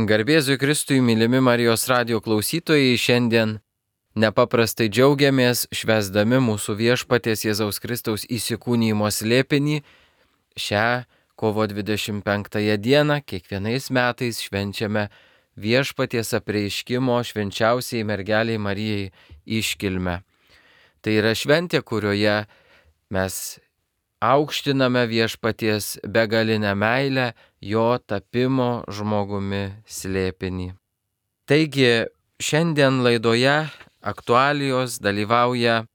Garbėzui Kristui, mylimi Marijos radijo klausytojai, šiandien nepaprastai džiaugiamės švęsdami mūsų viešpaties Jėzaus Kristaus įsikūnijimo slėpinį. Šią kovo 25 dieną kiekvienais metais švenčiame viešpaties apreiškimo švenčiausiai mergeliai Marijai iškilmę. Tai yra šventė, kurioje mes aukštiname viešpaties begalinę meilę, jo tapimo žmogumi slėpinį. Taigi šiandien laidoje aktualijos dalyvauja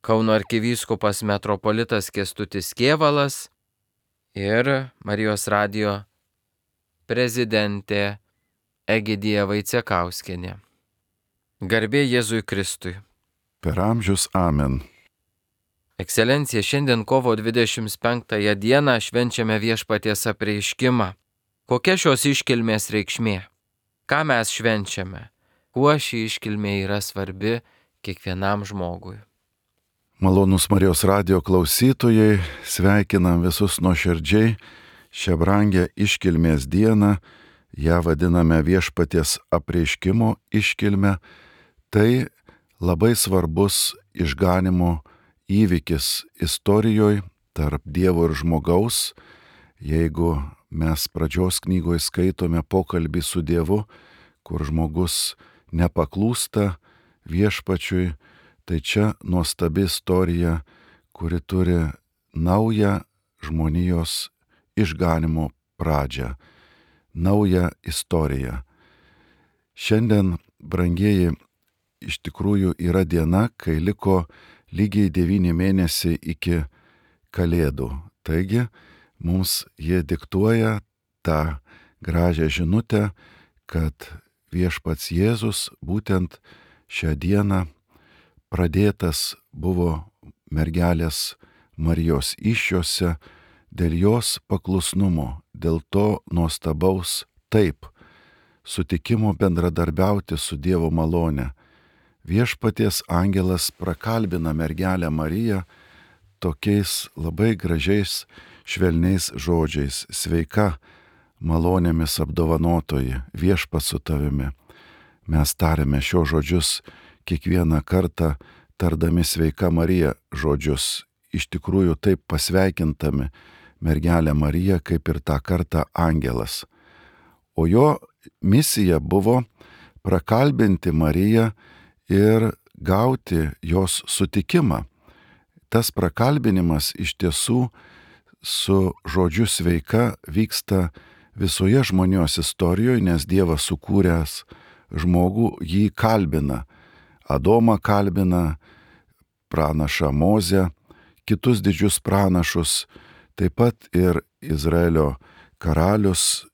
Kauno arkivyskupas metropolitas Kęstutis Kėvalas ir Marijos radijo prezidentė Egidija Vaicekauskienė. Garbė Jėzui Kristui. Per amžius amen. Ekscelencija, šiandien kovo 25 dieną švenčiame viešpaties apreiškimą. Kokia šios iškilmės reikšmė? Ką mes švenčiame? Kuo ši iškilmė yra svarbi kiekvienam žmogui? Malonūs Marijos radijo klausytojai, sveikinam visus nuoširdžiai šią brangę iškilmės dieną. Ją vadiname viešpaties apreiškimo iškilmę. Tai labai svarbus išganimo įvykis istorijoje tarp Dievo ir žmogaus. Jeigu mes pradžios knygoje skaitome pokalbį su Dievu, kur žmogus nepaklūsta viešpačiui, tai čia nuostabi istorija, kuri turi naują žmonijos išganimo pradžią, naują istoriją. Šiandien, brangieji, iš tikrųjų yra diena, kai liko lygiai 9 mėnesiai iki Kalėdų. Taigi, mums jie diktuoja tą gražią žinutę, kad viešpats Jėzus būtent šią dieną pradėtas buvo mergelės Marijos įsčiose dėl jos paklusnumo, dėl to nuostabaus taip, sutikimo bendradarbiauti su Dievo malone. Viešpaties angelas prakalbina mergelę Mariją tokiais labai gražiais, švelniais žodžiais: sveika, malonėmis apdovanotoji, viešpats su tavimi. Mes tariame šios žodžius kiekvieną kartą, tardami sveika Marija žodžius, iš tikrųjų taip pasveikintami mergelę Mariją, kaip ir tą kartą angelas. O jo misija buvo prakalbinti Mariją ir gauti jos sutikimą. Tas prakalbinimas iš tiesų su žodžiu sveika vyksta visoje žmonijos istorijoje, nes Dievas sukūręs žmogų jį kalbina. Adomą kalbina, pranašą Mozę, kitus didžius pranašus, taip pat ir Izraelio karalius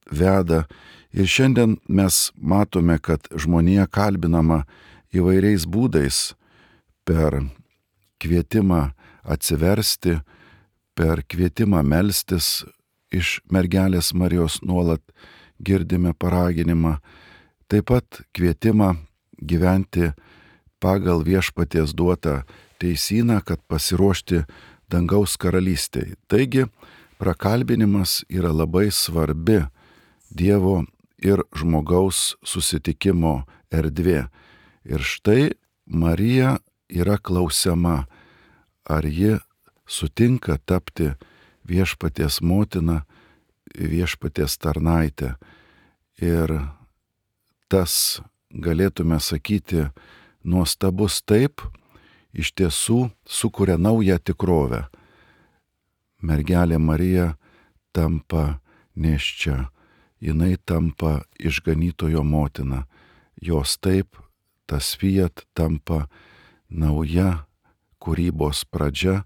veda. Ir šiandien mes matome, kad žmonija kalbinama įvairiais būdais, per kvietimą atsiversti, per kvietimą melstis, iš mergelės Marijos nuolat girdime paraginimą, taip pat kvietimą gyventi pagal viešpaties duotą teisyną, kad pasiruošti dangaus karalystei. Taigi, prakalbinimas yra labai svarbi Dievo ir žmogaus susitikimo erdvė. Ir štai Marija yra klausiama, ar ji sutinka tapti viešpaties motina, viešpaties tarnaitė. Ir tas, galėtume sakyti, nuostabus taip, iš tiesų sukuria naują tikrovę. Mergelė Marija tampa nėščia, jinai tampa išganytojo motina. Jos taip, tas fiat tampa nauja kūrybos pradžia,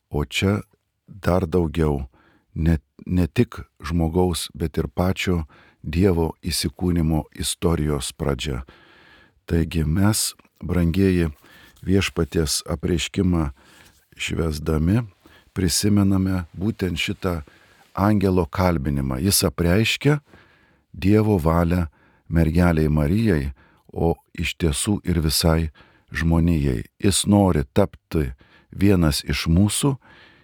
o čia dar daugiau, ne tik žmogaus, bet ir pačio Dievo įsikūnimo istorijos pradžia. Taigi mes, brangieji, viešpaties apreiškimą švęsdami, prisimename būtent šitą angelo kalbinimą. Jis apreiškia Dievo valią mergeliai Marijai, o iš tiesų ir visai žmonijai. Jis nori tapti vienas iš mūsų,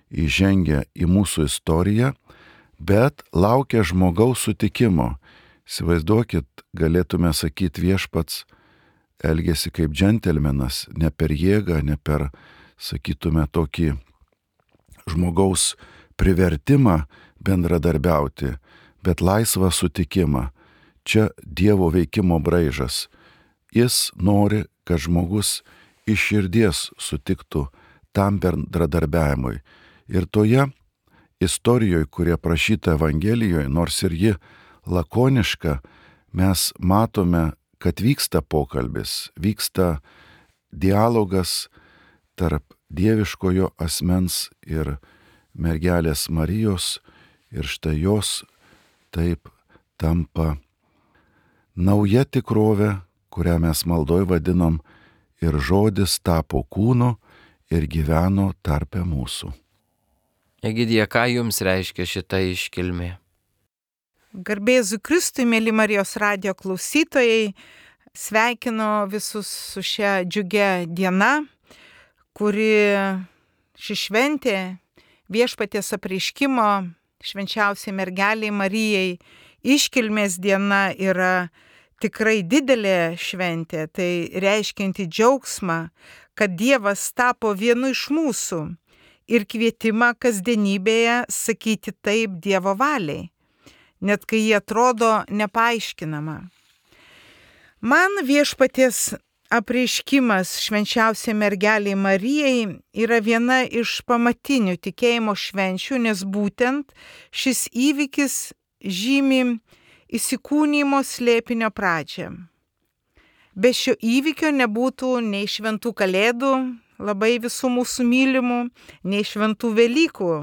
įžengia į mūsų istoriją, bet laukia žmogaus sutikimo. Įsivaizduokit, galėtume sakyti, Viešpats elgėsi kaip džentelmenas, ne per jėgą, ne per, sakytume, tokį žmogaus privertimą bendradarbiauti, bet laisvą sutikimą. Čia Dievo veikimo braižas. Jis nori, kad žmogus iš širdies sutiktų tam bendradarbiavimui. Ir toje istorijoje, kurie prašyta Evangelijoje, nors ir ji lakoniška, mes matome, kad vyksta pokalbis, vyksta dialogas tarp dieviškojo asmens ir mergelės Marijos, ir štai jos taip tampa nauja tikrovė, kurią mes maldoj vadinam, ir žodis tapo kūnu ir gyveno tarpe mūsų. Egidija, ką jums reiškia šita iškilmė? Garbė Jėzui Kristui, mėly Marijos radijo klausytojai, sveikinu visus su šia džiugia diena, kuri ši šventė Viešpaties apreiškimo švenčiausiai mergeliai Marijai iškilmės diena yra tikrai didelė šventė, tai reiškianti džiaugsmą, kad Dievas tapo vienu iš mūsų ir kvietimą kasdienybėje sakyti taip Dievo valiai, net kai jie atrodo nepaaiškinama. Man Viešpaties apreiškimas švenčiausiai mergeliai Marijai yra viena iš pamatinių tikėjimo švenčių, nes būtent šis įvykis žymi įsikūnijimo slėpinio pradžią. Be šio įvykio nebūtų nei šventų kalėdų, labai visų mūsų mylimų, nei šventų Velykų.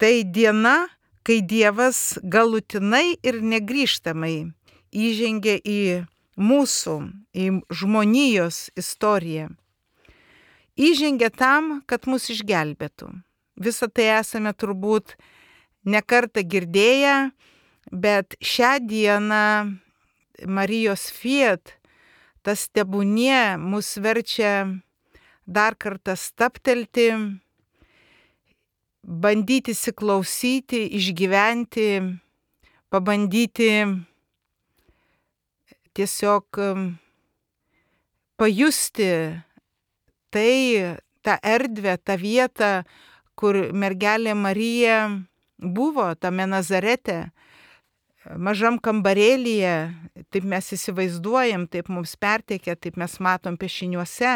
Tai diena, kai Dievas galutinai ir negrįžtamai įžengė į mūsų, į žmonijos istoriją. Įžengė tam, kad mus išgelbėtų. Visą tai esame turbūt nekartą girdėję, bet šią dieną Marijos Fiat, tas tebūnie, mus verčia dar kartą stabtelti, bandyti įsiklausyti, išgyventi, pabandyti tiesiog pajusti tai, tą erdvę, tą vietą, kur mergelė Marija buvo, tame Nazarete, mažam kambarėlyje, taip mes įsivaizduojam, taip mums perteikia, taip mes matom piešiniuose.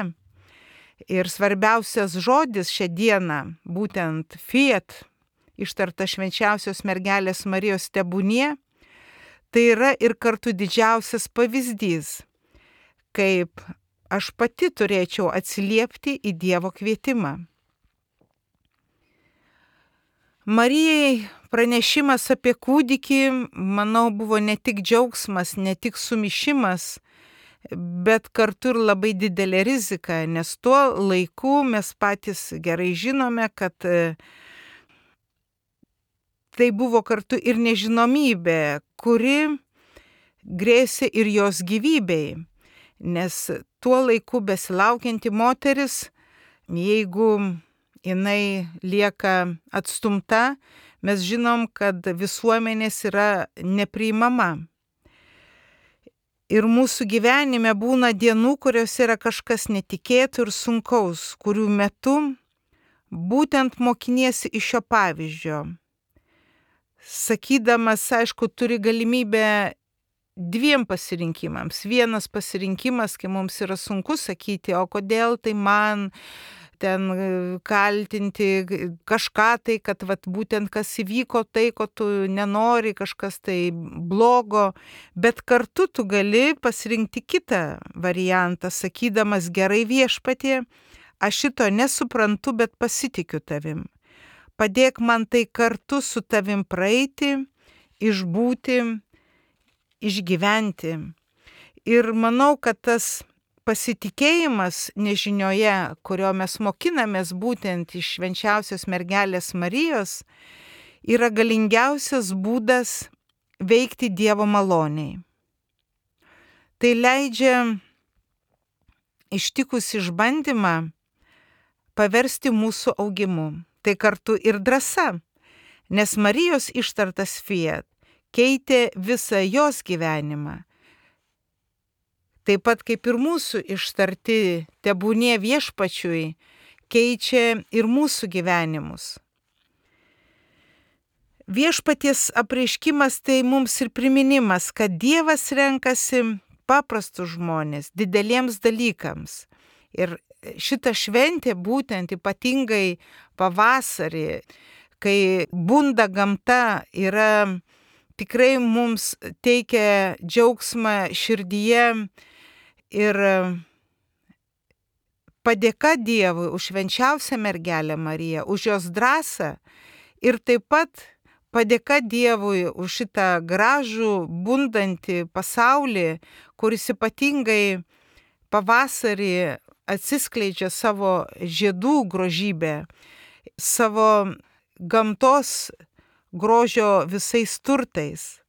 Ir svarbiausias žodis šią dieną, būtent Fiat, ištarta švenčiausios mergelės Marijos tebūnie, tai yra ir kartu didžiausias pavyzdys, kaip aš pati turėčiau atsiliepti į Dievo kvietimą. Marijai pranešimas apie kūdikį, manau, buvo ne tik džiaugsmas, ne tik sumišimas, bet kartu ir labai didelė rizika, nes tuo laiku mes patys gerai žinome, kad tai buvo kartu ir nežinomybė, kuri grėsė ir jos gyvybei, nes tuo laiku besilaukianti moteris, jeigu jinai lieka atstumta, mes žinom, kad visuomenės yra nepriimama. Ir mūsų gyvenime būna dienų, kurios yra kažkas netikėto ir sunkaus, kurių metu būtent mokiniesi iš šio pavyzdžio. Sakydamas, aišku, turi galimybę dviem pasirinkimams. Vienas pasirinkimas, kai mums yra sunku sakyti, o kodėl tai man ten kaltinti kažką tai, kad vat, būtent kas įvyko tai, ko tu nenori, kažkas tai blogo, bet kartu tu gali pasirinkti kitą variantą, sakydamas gerai Viešpatie, aš šito nesuprantu, bet pasitikiu tavim. Padėk man tai kartu su tavim praeiti, išbūti, išgyventi. Ir manau, kad tas pasitikėjimas nežinioje, kurio mes mokinamės būtent iš švenčiausios mergelės Marijos, yra galingiausias būdas veikti Dievo maloniai. Tai leidžia ištikus išbandymą paversti mūsų augimu. Tai kartu ir drąsa, nes Marijos ištartas Fiat keitė visą jos gyvenimą. Taip pat kaip ir mūsų ištarti tebūnie viešpačiui keičia ir mūsų gyvenimus. Viešpaties apreiškimas tai mums ir priminimas, kad Dievas renkasi paprastus žmonės dideliems dalykams. Ir šita šventė būtent ypatingai pavasarį, kai bunda gamta, yra tikrai mums teikia džiaugsmą širdyje ir padėka Dievui už švenčiausią mergelę Mariją, už jos drąsą ir taip pat padėka Dievui už šitą gražų, bundantį pasaulį, kuris ypatingai pavasarį atsiskleidžia savo žiedų grožybę, savo gamtos grožio visais turtais.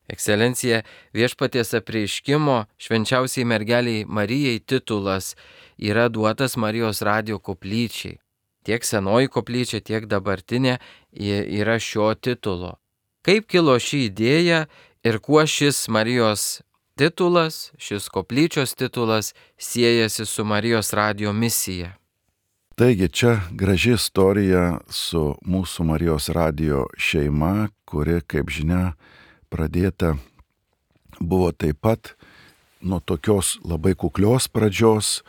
Ekscelencija, viešpaties apreiškimo švenčiausiai mergeliai Marijai titulas yra duotas Marijos radijo koplyčiai. Tiek senoji koplyčia, tiek dabartinė yra šio titulo. Kaip kilo ši idėja ir kuo šis Marijos titulas, šis koplyčios titulas siejasi su Marijos radijo misija? Taigi čia graži istorija su mūsų Marijos radijo šeima, kuri, kaip žinia, pradėta buvo taip pat nuo tokios labai kuklios pradžios.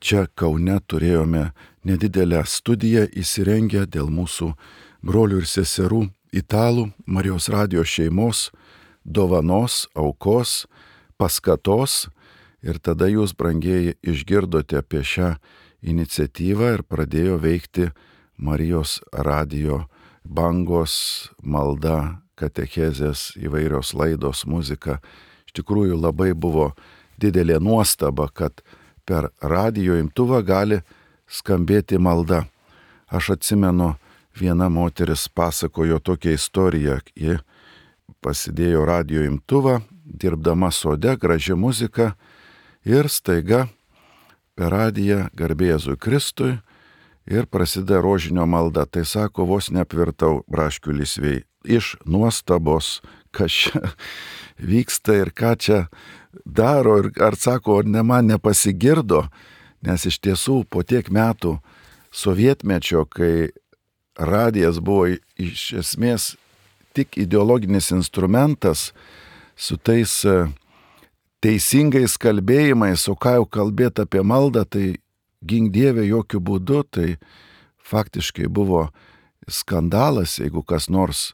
Čia Kaune turėjome nedidelę studiją įsirengę dėl mūsų brolių ir seserų italų Marijos radijo šeimos dovanos, aukos, paskatos. Ir tada jūs, brangieji, išgirdote apie šią iniciatyvą ir pradėjo veikti Marijos radijo bangos, malda, katechezės, įvairios laidos, muzika. Iš tikrųjų labai buvo didelė nuostaba, kad per radijo imtuvą gali skambėti malda. Aš atsimenu, viena moteris pasakojo tokią istoriją. Ji pasidėjo radijo imtuvą, dirbdama sode, graži muzika ir staiga per radiją garbė Jėzui Kristui ir prasideda rožinio malda. Tai sako, vos neapvirtau braškių lysvėj. Iš nuostabos, kas čia vyksta ir ką čia daro. Ir ar sako, ne man nepasigirdo, nes iš tiesų po tiek metų sovietmečio, kai radijas buvo iš esmės tik ideologinis instrumentas su tais teisingais kalbėjimais, o ką jau kalbėti apie maldą, tai gink Dieve jokių būdų, tai faktiškai buvo skandalas, jeigu kas nors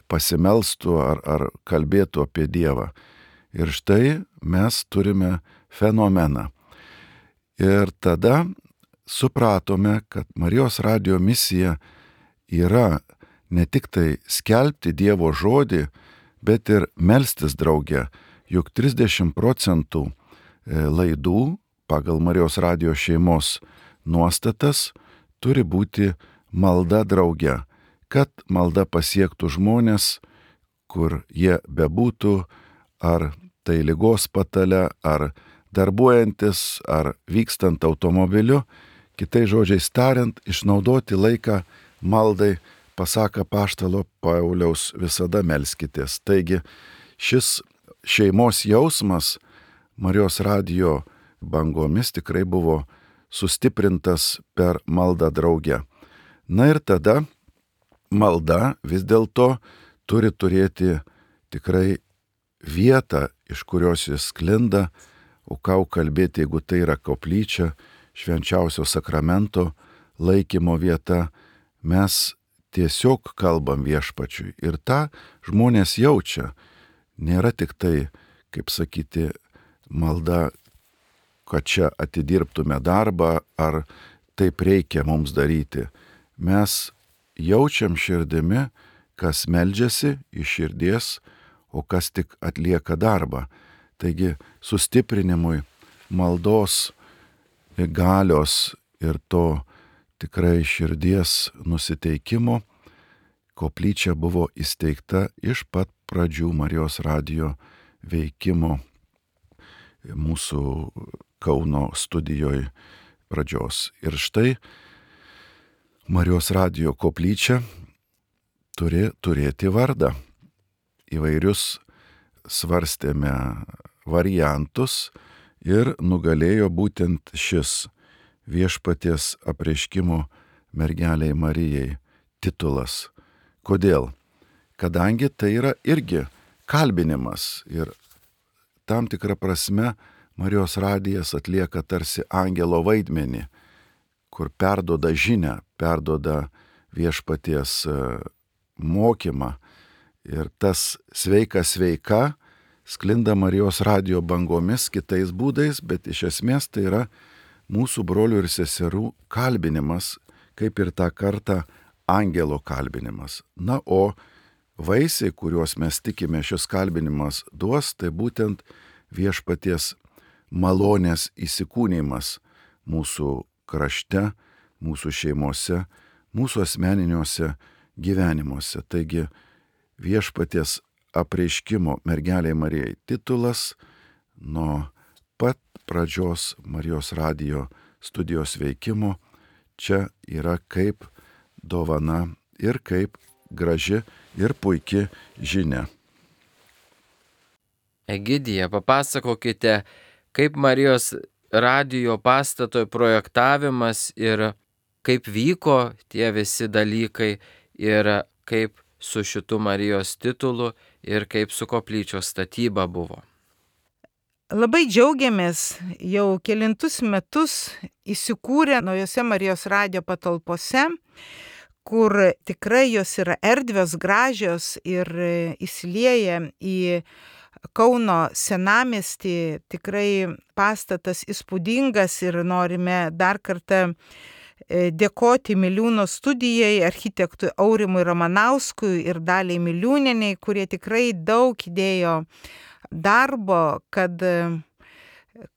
pasimelstų ar kalbėtų apie Dievą. Ir štai mes turime fenomeną. Ir tada supratome, kad Marijos radijo misija yra ne tik tai skelbti Dievo žodį, bet ir melstis drauge. Juk 30% laidų pagal Marijos radijo šeimos nuostatas turi būti malda drauge, kad malda pasiektų žmonės, kur jie bebūtų, ar tai ligos patale, ar darbuojantis, ar vykstant automobiliu, kitais žodžiais tariant, išnaudoti laiką maldai, pasaka apaštalo Pauliaus, visada melskitės. Taigi šis šeimos jausmas Marijos radijo bangomis tikrai buvo sustiprintas per maldą drauge. Na ir tada malda vis dėlto turi turėti tikrai vietą, iš kurios jis sklinda, o ką kalbėti, jeigu tai yra koplyčia, švenčiausio sakramento laikymo vieta, mes tiesiog kalbam viešpačiui ir tą žmonės jaučia. Nėra tik tai, kaip sakyti, malda, kad čia atidirbtume darbą, ar taip reikia mums daryti. Mes jaučiam širdimi, kas meldžiasi iš širdies, o kas tik atlieka darbą. Taigi sustiprinimui maldos galios ir to tikrai širdies nusiteikimo koplyčia buvo įsteigta iš pat pradžių Marijos radijo veikimo mūsų Kauno studijoje pradžios. Ir štai Marijos radijo koplyčia turi turėti vardą. Įvairius svarstėme variantus ir nugalėjo būtent šis Viešpaties apreiškimo mergeliai Marijai titulas. Kodėl? Kadangi tai yra irgi kalbinimas ir tam tikrą prasme Marijos radijas atlieka tarsi angelo vaidmenį, kur perduoda žinią, perduoda Viešpaties mokymą. Ir tas sveika sklinda Marijos radijo bangomis kitais būdais, bet iš esmės tai yra mūsų brolių ir seserų kalbinimas, kaip ir tą kartą angelo kalbinimas. Na, o vaisiai, kuriuos mes tikime šis kalbinimas duos, tai būtent Viešpaties malonės įsikūnymas mūsų krašte, mūsų šeimose, mūsų asmeniniuose gyvenimuose. Taigi Viešpaties apreiškimo mergeliai Marijai titulas nuo pat pradžios Marijos radijo studijos veikimo čia yra kaip dovana ir kaip graži ir puiki žinia. Egidija, papasakokite, kaip Marijos radijo pastato projektavimas ir kaip vyko tie visi dalykai ir kaip su šitu Marijos titulu ir kaip su koplyčios statyba buvo. Labai džiaugiamės jau kelintus metus įsikūrę naujose Marijos radijo patalpose, kur tikrai jos yra erdvios, gražios ir įsilieja į Kauno senamiestį. Tikrai pastatas įspūdingas ir norime dar kartą dėkoti Miliūno studijai, architektui Aurimui Ramanauskui ir Daliai Miliūnienei, kurie tikrai daug įdėjo darbo, kad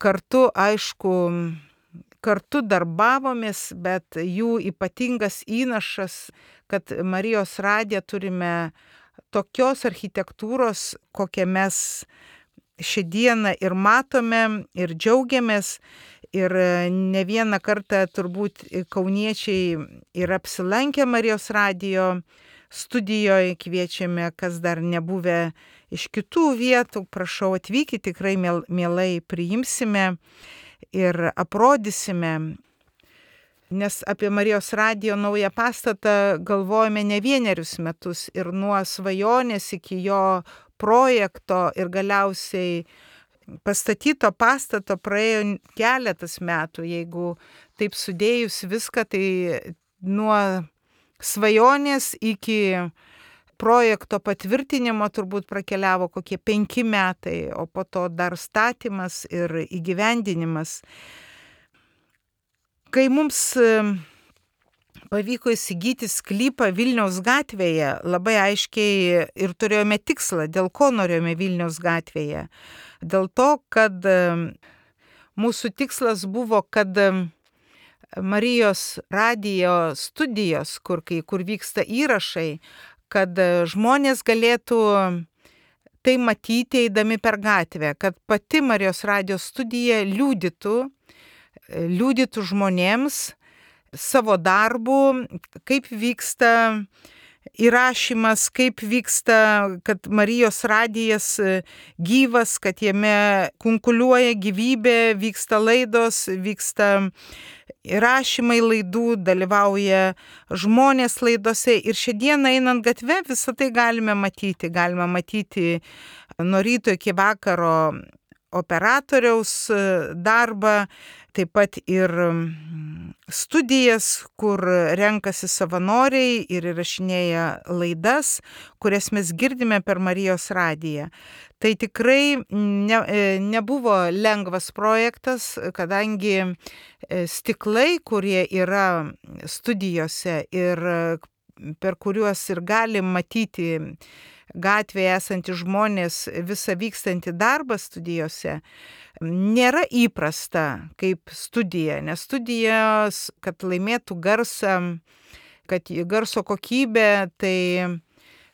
kartu, aišku, kartu darbavomės, bet jų ypatingas įnašas, kad Marijos radiją turime tokios architektūros, kokią mes šiandieną ir matome ir džiaugiamės. Ir ne vieną kartą turbūt kauniečiai yra apsilankę Marijos radijo studijoje, kviečiame, kas dar nebuvę iš kitų vietų, prašau atvykti, tikrai mielai priimsime ir aprodysime. Nes apie Marijos radijo naują pastatą galvojame ne vienerius metus ir nuo svajonės iki jo projekto ir galiausiai pastatyto pastato praėjo keletas metų. Jeigu taip sudėjus viską, tai nuo svajonės iki projekto patvirtinimo turbūt prakeliavo kokie 5 metai, o po to dar statymas ir įgyvendinimas. Kai mums pavyko įsigyti sklypą Vilniaus gatvėje, labai aiškiai ir turėjome tikslą, dėl ko norėjome Vilniaus gatvėje. Dėl to, kad mūsų tikslas buvo, kad Marijos radijo studijos, kur vyksta įrašai, kad žmonės galėtų tai matyti eidami per gatvę, kad pati Marijos radijo studija liudytų žmonėms savo darbu, kaip vyksta įrašymas, kaip vyksta, kad Marijos radijas gyvas, kad jame kunkuliuoja gyvybė, vyksta laidos, vyksta įrašymai laidų, dalyvauja žmonės laidose. Ir šiandieną einant gatve visą tai galime matyti. Galime matyti nuo ryto iki vakaro operatoriaus darbą, taip pat ir studijas, kur renkasi savanoriai ir įrašinėja laidas, kurias mes girdime per Marijos radiją. Tai tikrai nebuvo lengvas projektas, kadangi stiklai, kurie yra studijose ir per kuriuos ir galim matyti gatvėje esantys žmonės visą vykstantį darbą studijose, nėra įprasta kaip studija, nes studijos, kad laimėtų garsą, kad garso kokybė, tai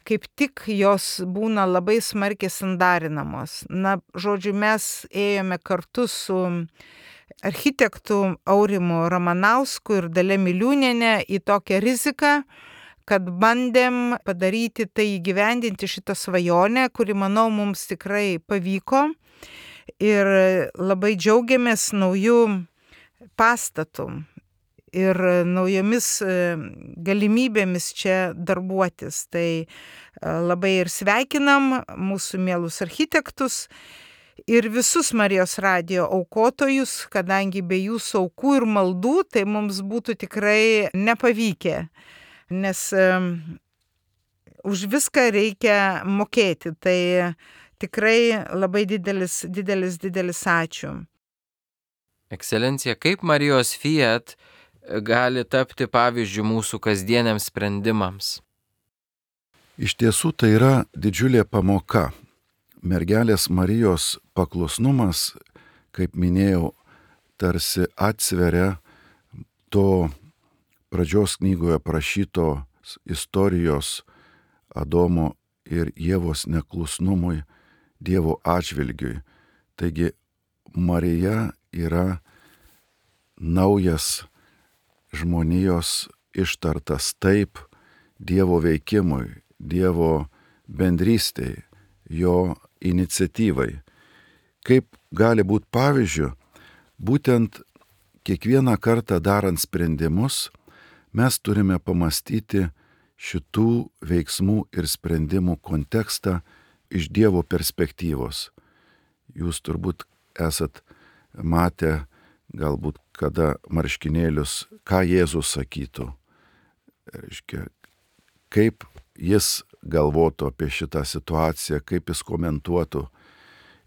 kaip tik jos būna labai smarkiai sandarinamos. Na, žodžiu, mes ėjome kartu su architektu Aurimu Ramanausku ir Dalia Miliūniene į tokią riziką, kad bandėm padaryti tai, įgyvendinti šitą svajonę, kuri, manau, mums tikrai pavyko. Ir labai džiaugiamės naujų pastatų ir naujomis galimybėmis čia darbuotis. Tai labai ir sveikinam mūsų mielus architektus ir visus Marijos radijo aukotojus, kadangi be jūsų aukų ir maldų tai mums būtų tikrai nepavykę, nes už viską reikia mokėti. Tai tikrai labai didelis ačiū. Ekscelencija, kaip Marijos Fiat gali tapti pavyzdžiu mūsų kasdieniams sprendimams? Iš tiesų tai yra didžiulė pamoka. Mergelės Marijos paklusnumas, kaip minėjau, tarsi atsveria to pradžios knygoje prašytos istorijos Adomo ir Ievos neklusnumui Dievo atžvilgiui. Taigi Marija yra naujas žmonijos ištartas taip Dievo veikimui, Dievo bendrystei, jo iniciatyvai. Kaip gali būti pavyzdžių, būtent kiekvieną kartą darant sprendimus, mes turime pamastyti šitų veiksmų ir sprendimų kontekstą iš Dievo perspektyvos. Jūs turbūt esat matę galbūt kada marškinėlius, ką Jėzus sakytų. Reiškia, kaip jis galvotų apie šitą situaciją, kaip jis komentuotų.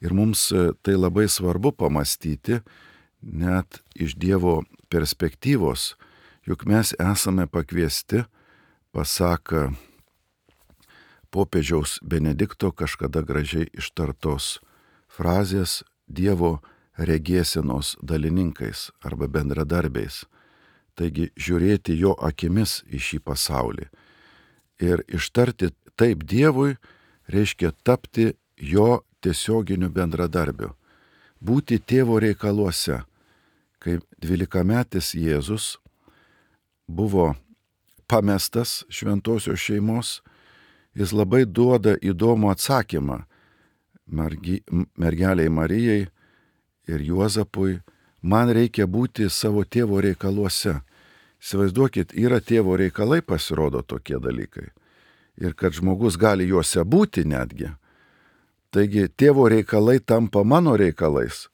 Ir mums tai labai svarbu pamastyti, net iš Dievo perspektyvos, juk mes esame pakviesti, pasaka popiežiaus Benedikto kažkada gražiai ištartos frazės, Dievo regėsenos dalininkais arba bendradarbiais. Taigi žiūrėti jo akimis į šį pasaulį. Ir ištarti taip Dievui reiškia tapti jo tiesioginiu bendradarbiu. Būti tėvo reikaluose. Kai 12-metis Jėzus buvo pamestas šventosios šeimos, jis labai duoda įdomų atsakymą mergeliai Marijai ir Juozapui: man reikia būti savo tėvo reikaluose. Įsivaizduokit, yra tėvo reikalai, pasirodo tokie dalykai. Ir kad žmogus gali juose būti netgi. Taigi tėvo reikalai tampa mano reikalais.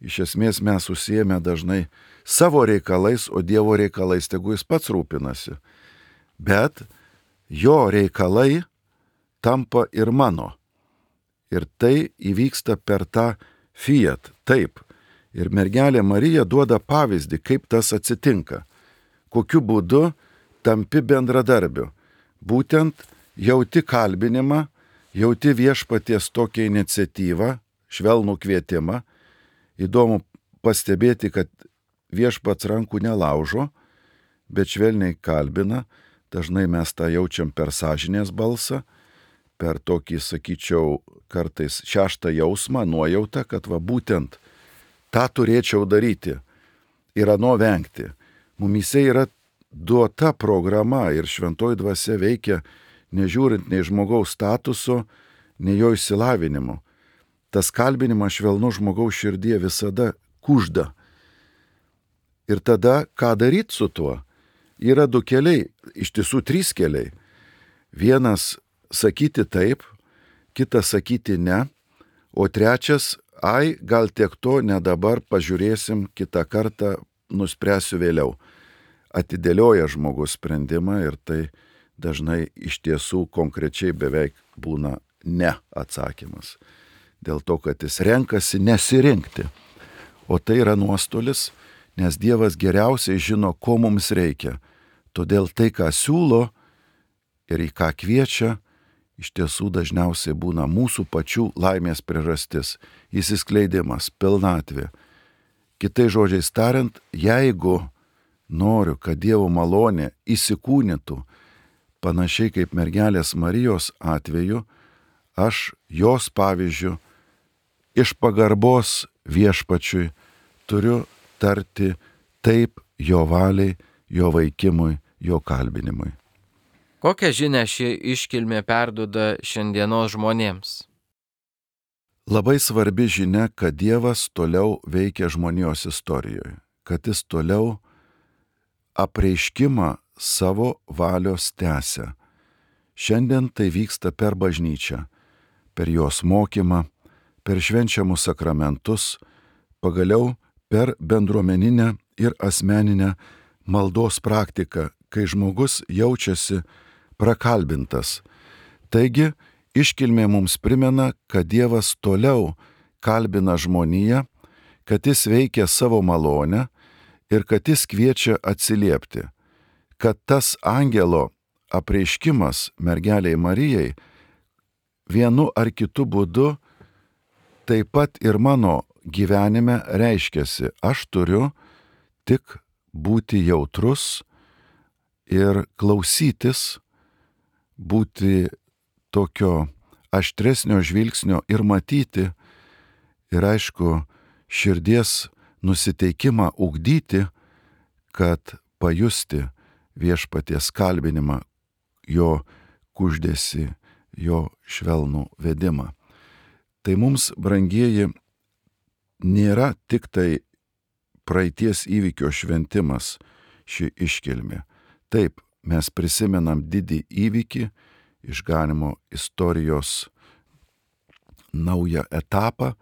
Iš esmės mes užsiėmę dažnai savo reikalais, o Dievo reikalais tegu jis pats rūpinasi. Bet jo reikalai tampa ir mano. Ir tai įvyksta per tą fiat, taip. Ir mergelė Marija duoda pavyzdį, kaip tas atsitinka. Kokiu būdu tampi bendradarbiu. Būtent jauti kalbinimą, jauti viešpaties tokią iniciatyvą, švelnų kvietimą. Įdomu pastebėti, kad viešpats rankų nelaužo, bet švelniai kalbina. Dažnai mes tą jaučiam per sąžinės balsą, per tokį, sakyčiau, kartais šeštą jausmą, nuojautą, kad va būtent tą turėčiau daryti ir ano vengti. Mumyse yra duota programa ir šventoji dvasia veikia nežiūrint nei žmogaus statuso, nei jo išsilavinimo. Tas kalbinimas švelnu žmogaus širdie visada kužda. Ir tada ką daryti su tuo? Yra du keliai, iš tiesų 3 keliai. Vienas sakyti taip, kitas sakyti ne, o trečias, gal tiek to, ne dabar, pažiūrėsim, kitą kartą nuspręsiu vėliau. Atidėlioja žmogus sprendimą ir tai dažnai iš tiesų konkrečiai beveik būna ne atsakymas. Dėl to, kad jis renkasi nesirinkti. O tai yra nuostolis, nes Dievas geriausiai žino, ko mums reikia. Todėl tai, ką siūlo ir į ką kviečia, iš tiesų dažniausiai būna mūsų pačių laimės priežastis, įsiskleidimas, pilnatvė. Kitais žodžiais tariant, jeigu noriu, kad Dievo malonė įsikūnytų, panašiai kaip mergelės Marijos atveju, aš jos pavyzdžiu iš pagarbos viešpačiui turiu tarti taip jo valiai, jo veikimui, jo kalbinimui. Kokią žinią ši iškilmė perduoda šiandienos žmonėms? Labai svarbi žinia, kad Dievas toliau veikia žmonijos istorijoje, kad jis toliau apreiškimą savo valios tęsia. Šiandien tai vyksta per bažnyčią, per jos mokymą, per švenčiamus sakramentus, pagaliau per bendruomeninę ir asmeninę maldos praktiką, kai žmogus jaučiasi prakalbintas. Taigi, iškilmė mums primena, kad Dievas toliau kalbina žmoniją, kad jis veikia savo malonę ir kad jis kviečia atsiliepti, kad tas angelo apreiškimas mergeliai Marijai vienu ar kitu būdu taip pat ir mano gyvenime reiškiasi. Aš turiu tik būti jautrus ir klausytis, būti tokio aštresnio žvilgsnio ir matyti, ir aišku, širdies nusiteikimą ugdyti, kad pajusti viešpaties kalbinimą, jo kuždesį, jo švelnų vedimą. Tai mums, brangieji, nėra tik tai praeities įvykio šventimas ši iškilmė. Taip, mes prisimenam didį įvykį, išganymo istorijos naują etapą,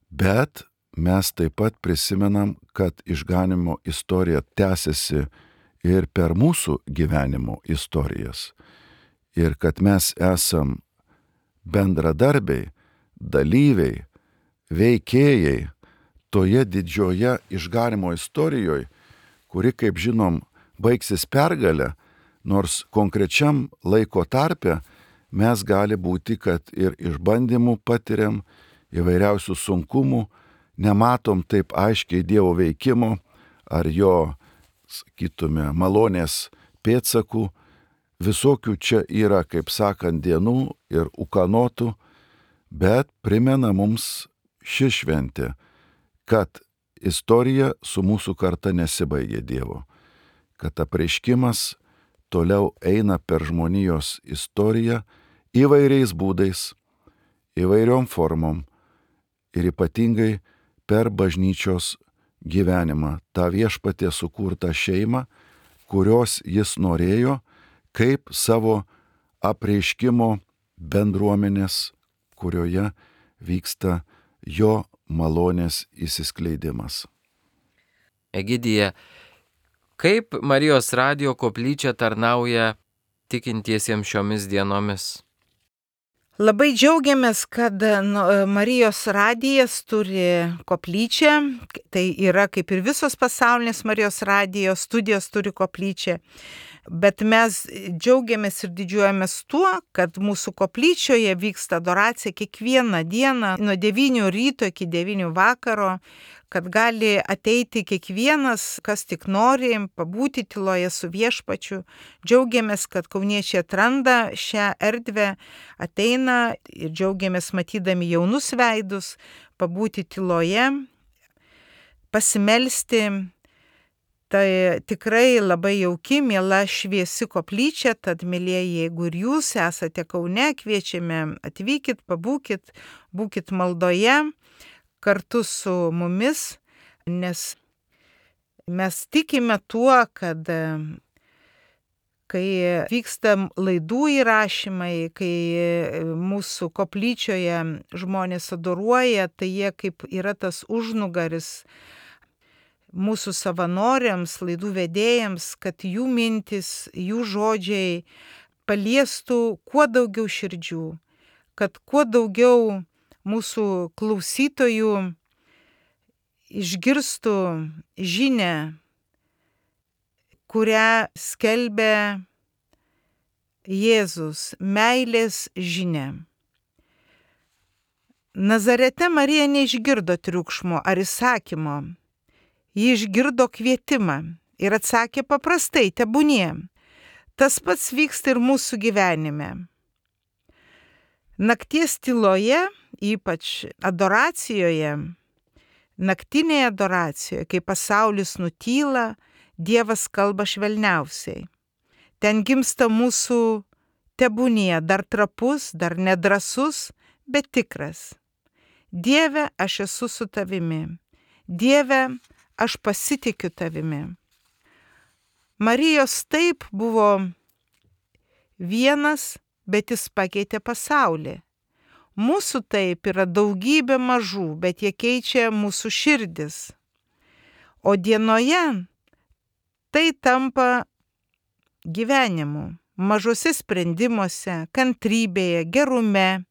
bet mes taip pat prisimenam, kad išganymo istorija tęsiasi ir per mūsų gyvenimo istorijas. Ir kad mes esam bendradarbiai, dalyviai, veikėjai toje didžioje išganymo istorijoje, kuri, kaip žinom, baigsis pergalę, nors konkrečiam laiko tarpe mes gali būti, kad ir išbandymų patiriam, įvairiausių sunkumų, nematom taip aiškiai Dievo veikimo ar jo, sakytume, malonės pėdsakų. Visokių čia yra, kaip sakant, dienų ir ūkanotų, bet primena mums ši šventė, kad istorija su mūsų karta nesibaigė Dievo, kad apreiškimas toliau eina per žmonijos istoriją įvairiais būdais, įvairiom formom ir ypatingai per bažnyčios gyvenimą, tą viešpaties sukurtą šeimą, kurios jis norėjo kaip savo apreiškimo bendruomenės, kurioje vyksta jo malonės įsiskleidimas. Egidija, kaip Marijos radijo koplyčia tarnauja tikintiesiems šiomis dienomis? Labai džiaugiamės, kad Marijos radijas turi koplyčią, tai yra kaip ir visos pasaulinės Marijos radijo studijos turi koplyčią, bet mes džiaugiamės ir didžiuojamės tuo, kad mūsų koplyčioje vyksta adoracija kiekvieną dieną nuo 9 ryto iki 9 vakaro, kad gali ateiti kiekvienas, kas tik nori, pabūti tyloje su viešpačiu. Džiaugiamės, kad kauniečiai atranda šią erdvę, ateina ir džiaugiamės matydami jaunus veidus, pabūti tyloje, pasimelsti. Tai tikrai labai jauki, miela, šviesi koplyčia, tad, mėlyjeji, jeigu ir jūs esate Kaune, kviečiame atvykit, pabūkit, būkit maldoje kartu su mumis, nes mes tikime tuo, kad kai vyksta laidų įrašymai, kai mūsų koplyčioje žmonės adoruoja, tai jie kaip yra tas užnugaris mūsų savanoriams, laidų vedėjams, kad jų mintis, jų žodžiai paliestų kuo daugiau širdžių, kad kuo daugiau mūsų klausytojų išgirstų žinią, kurią skelbia Jėzus, meilės žinia. Nazarete Marija neišgirdo triukšmo ar įsakymo. Ji išgirdo kvietimą ir atsakė paprastai, tebūnie. Tas pats vyksta ir mūsų gyvenime. Nakties tyloje, ypač adoracijoje, naktinėje adoracijoje, kai pasaulis nutyla, Dievas kalba švelniausiai. ten gimsta mūsų tebūnie, dar trapus, dar nedrasus, bet tikras. Dieve, aš esu su tavimi. Dieve, aš pasitikiu tavimi. Marijos taip buvo vienas, bet jis pakeitė pasaulį. Mūsų taip yra daugybė mažų, bet jie keičia mūsų širdis. O dienoje tai tampa gyvenimu, mažose sprendimuose, kantrybėje, gerume,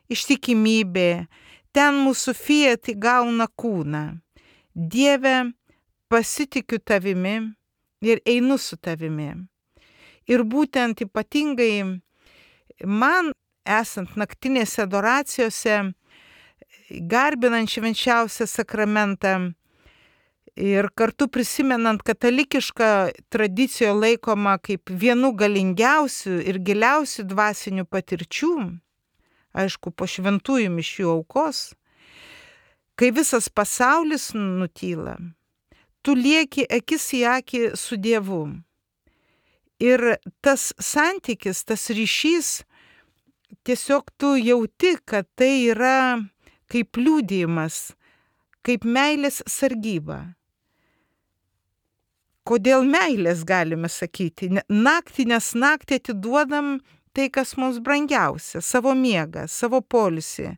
ištikimybėje. Ten mūsų fiat įgauna kūną. Dieve, pasitikiu tavimi ir einu su tavimi. Ir būtent ypatingai man, esant naktinėse adoracijose, garbinant švenčiausią sakramentą ir kartu prisimenant katalikišką tradiciją laikomą kaip vienu galingiausių ir giliausių dvasinių patirčių, aišku, po šventųjų mišių aukos, kai visas pasaulis nutyla, tu lieki akis į akį su Dievu. Ir tas santykis, tas ryšys, tiesiog tu jauti, kad tai yra kaip liudijimas, kaip meilės sargyba. Kodėl meilės galime sakyti? Naktį, nes naktį atiduodam tai, kas mums brangiausia, savo miegą, savo poilsį.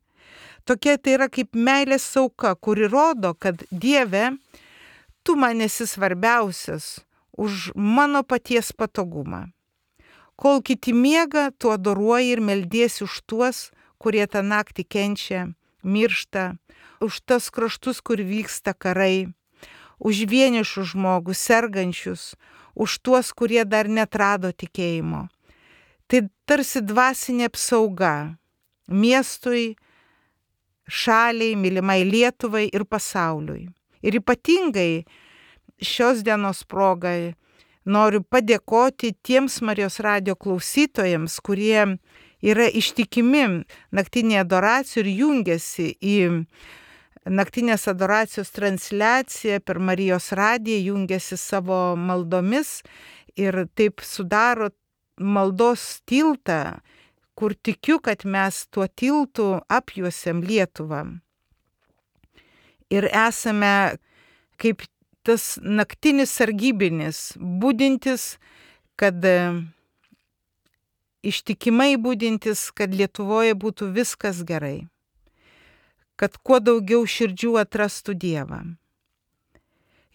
Tokia tai yra kaip meilės auka, kuri rodo, kad Dieve, tu man esi svarbiausias už mano paties patogumą. Kol kiti miega, tu adoruoji ir meldiesi už tuos, kurie tą naktį kenčia, miršta, už tas kraštus, kur vyksta karai, už vienišus žmogus, sergančius, už tuos, kurie dar neatrado tikėjimo. Tai tarsi dvasinė apsauga miestui, šaliai, mylimai Lietuvai ir pasauliui. Ir ypatingai šios dienos progai noriu padėkoti tiems Marijos radijo klausytojams, kurie yra ištikimi naktinėje adoracijoje ir jungiasi į naktinės adoracijos transliaciją per Marijos radiją, jungiasi savo maldomis ir taip sudaro maldos tiltą, kur tikiu, kad mes tuo tiltu apjuosiam Lietuvą. Ir esame kaip tas naktinis sargybinis, budintis, kad ištikimai budintis, kad Lietuvoje būtų viskas gerai. Kad kuo daugiau širdžių atrastų Dievą.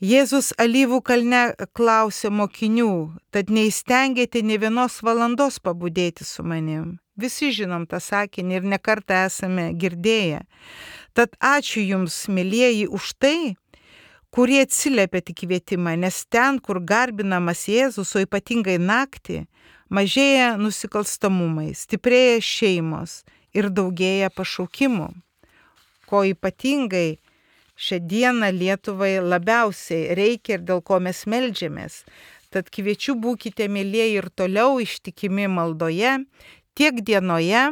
Jėzus Alyvų kalne klausė mokinių, tad neįstengėte nė vienos valandos pabudėti su manim. Visi žinom tą sakinį ir nekartą esame girdėję. Tad ačiū jums, mielieji, už tai, kurie atsiliepėte į kvietimą, nes ten, kur garbinamas Jėzus, o ypatingai naktį, mažėja nusikalstamumai, stiprėja šeimos ir daugėja pašaukimų, ko ypatingai šią dieną Lietuvai labiausiai reikia ir dėl ko mes meldžiamės. Tad kviečiu būkite, mielieji, ir toliau ištikimi maldoje, tiek dienoje,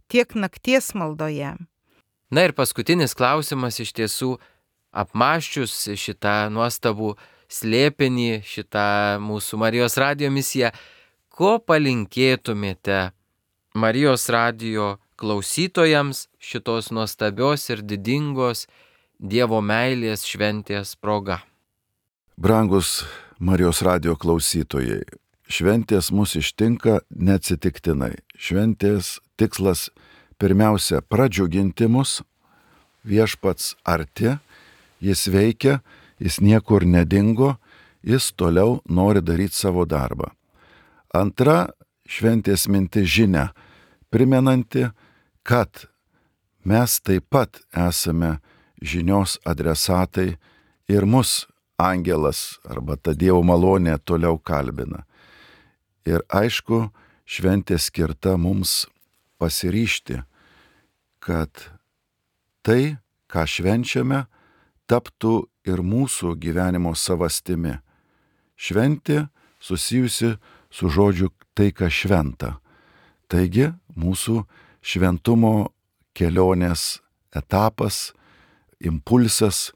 tiek nakties maldoje. Na ir paskutinis klausimas, iš tiesų, apmąsčius šitą nuostabų slėpinį, šitą mūsų Marijos radijo misiją, ko palinkėtumėte Marijos radijo klausytojams šitos nuostabios ir didingos Dievo meilės šventės proga? Brangus Marijos radijo klausytojai, šventės mus ištinka neatsitiktinai. Šventės tikslas pirmiausia pradžiuginti mus, viešpats arti, jis veikia, jis niekur nedingo, jis toliau nori daryti savo darbą. Antra šventės mintis žinia, primenanti, kad mes taip pat esame žinios adresatai ir mus angelas arba ta Dievo malonė toliau kalbina. Ir aišku, šventė skirta mums pasiryžti, kad tai, ką švenčiame, taptų ir mūsų gyvenimo savastimi. Šventė susijusi su žodžiu tai, kas šventa. Taigi mūsų šventumo kelionės etapas, impulsas,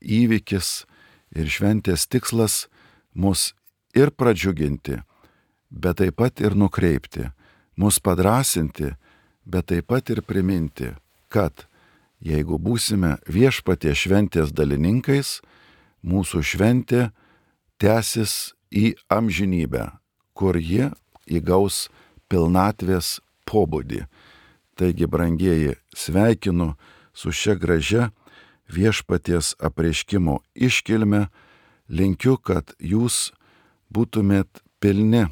įvykis ir šventės tikslas mus ir pradžiuginti, bet taip pat ir nukreipti, mus padrasinti, bet taip pat ir priminti, kad jeigu būsime viešpaties šventės dalininkais, mūsų šventė tęsis į amžinybę, kur jie įgaus pilnatvės pobūdį. Taigi, brangieji, sveikinu su šia gražia viešpaties apreiškimo iškilme, linkiu, kad jūs būtumėt pilni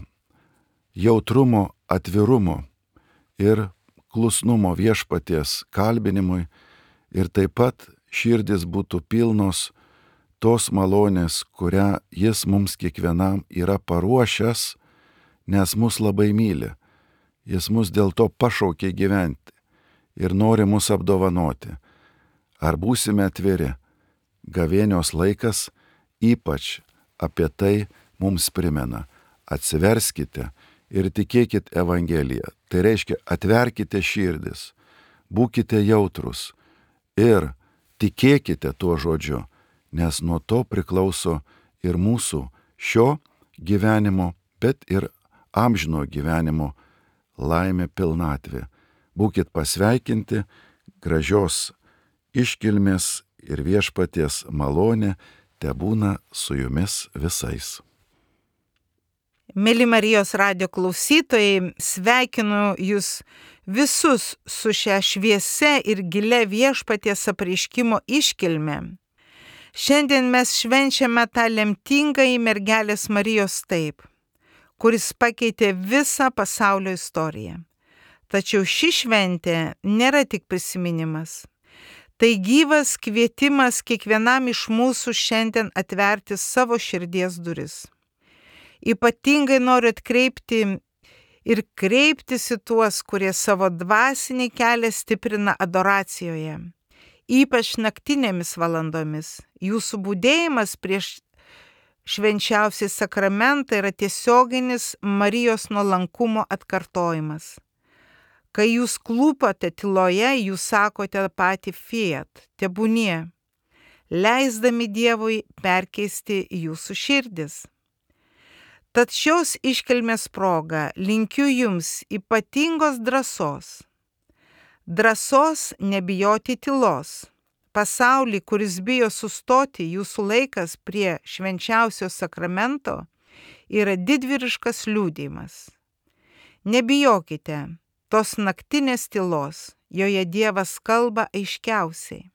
jautrumo, atvirumo ir klusnumo viešpaties kalbinimui ir taip pat širdis būtų pilnos tos malonės, kurią jis mums kiekvienam yra paruošęs, nes mus labai myli. Jis mus dėl to pašaukė gyventi ir nori mus apdovanoti. Ar būsime atviri? Gavėnios laikas ypač apie tai mums primena. Atsiverskite ir tikėkit Evangeliją. Tai reiškia, atverkite širdis, būkite jautrus ir tikėkite tuo žodžiu, nes nuo to priklauso ir mūsų šio gyvenimo, bet ir amžino gyvenimo laimė pilnatvė. Būkit pasveikinti, gražios iškilmės ir viešpaties malonė tebūna su jumis visais. Mėly Marijos radijo klausytojai, sveikinu jūs visus su šia šviesia ir gilia viešpaties apreiškimo iškilme. Šiandien mes švenčiame tą lemtingąjį mergelės Marijos taip, kuris pakeitė visą pasaulio istoriją. Tačiau ši šventė nėra tik prisiminimas. Tai gyvas kvietimas kiekvienam iš mūsų šiandien atverti savo širdies duris. Ypatingai noriu atkreipti ir kreiptis į tuos, kurie savo dvasinį kelią stiprina adoracijoje, ypač naktinėmis valandomis. Jūsų budėjimas prieš švenčiausią sakramentą yra tiesioginis Marijos nuolankumo atkartojimas. Kai jūs klūpote tyloje, jūs sakote patį fiat, tebūnie, leisdami Dievui perkeisti jūsų širdis. Tad šios iškilmės proga linkiu jums ypatingos drąsos. Drąsos nebijoti tylos. Pasaulį, kuris bijo sustoti, jūsų laikas prie švenčiausio sakramento yra didvyriškas liudijimas. Nebijokite tos naktinės tylos, joje Dievas kalba aiškiausiai.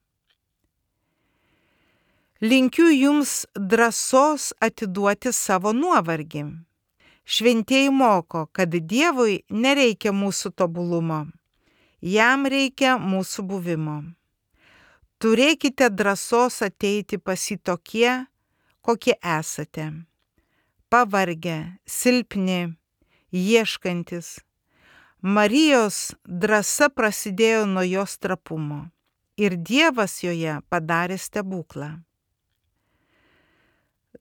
Linkiu jums drąsos atiduoti savo nuovargį. Šventieji moko, kad Dievui nereikia mūsų tobulumo, jam reikia mūsų buvimo. Turėkite drąsos ateiti pas jį tokie, kokie esate. Pavargę, silpni, ieškantis. Marijos drąsa prasidėjo nuo jos trapumo ir Dievas joje padarė stebuklą.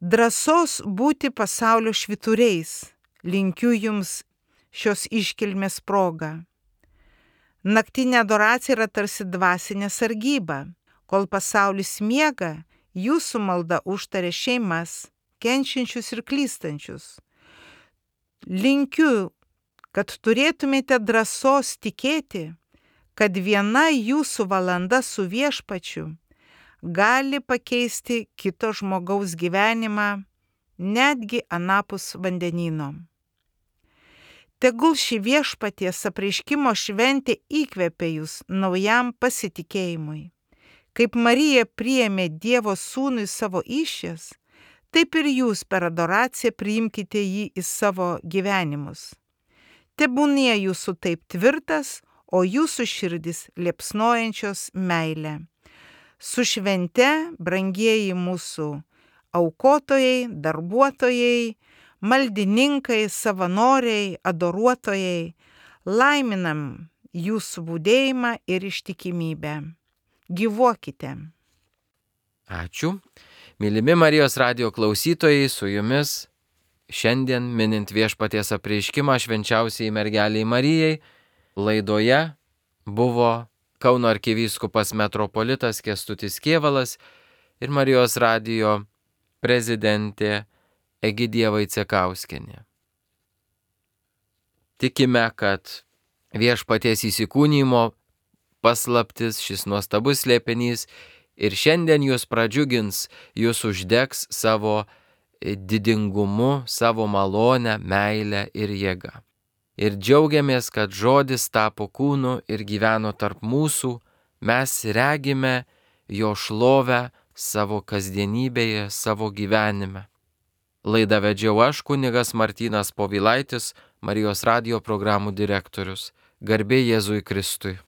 Drąsos būti pasaulio švyturiais linkiu jums šios iškilmės proga. Naktinė adoracija yra tarsi dvasinė sargyba. Kol pasaulis miega, jūsų malda užtaria šeimas, kenčiančius ir klystančius. Linkiu, kad turėtumėte drąsos tikėti, kad viena jūsų valanda su viešpačiu gali pakeisti kito žmogaus gyvenimą, netgi anapus vandenyno. Tegul ši viešpaties apreiškimo šventė įkvepia jūs naujam pasitikėjimui. Kaip Marija priėmė Dievo sūnų į savo įsčias, taip ir jūs per adoraciją priimkite jį į savo gyvenimus. Tebūnie jūsų taip tvirtas, o jūsų širdis liepsnojančios meilę. Su švente, brangieji mūsų aukotojai, darbuotojai, maldininkai, savanoriai, adoruotojai, laiminam jūsų budėjimą ir ištikimybę. Gyvuokite. Ačiū. Mylimi Marijos radijo klausytojai, su jumis šiandien minint viešpaties apreiškimą švenčiausiai mergeliai Marijai, laidoje buvo Kauno arkivyskupas metropolitas Kęstutis Kėvalas ir Marijos radijo prezidentė Egidija Vaicekauskienė. Tikime, kad viešpaties įsikūnymo paslaptis, šis nuostabus slėpinys ir šiandien jūs pradžiugins, jūs uždegs savo didingumu, savo malonę, meilę ir jėgą. Ir džiaugiamės, kad žodis tapo kūnu ir gyveno tarp mūsų, mes regime jo šlovę savo kasdienybėje, savo gyvenime. Laidą vedžiau aš, kunigas Martynas Povilaitis, Marijos radijo programų direktorius. Garbė Jėzui Kristui.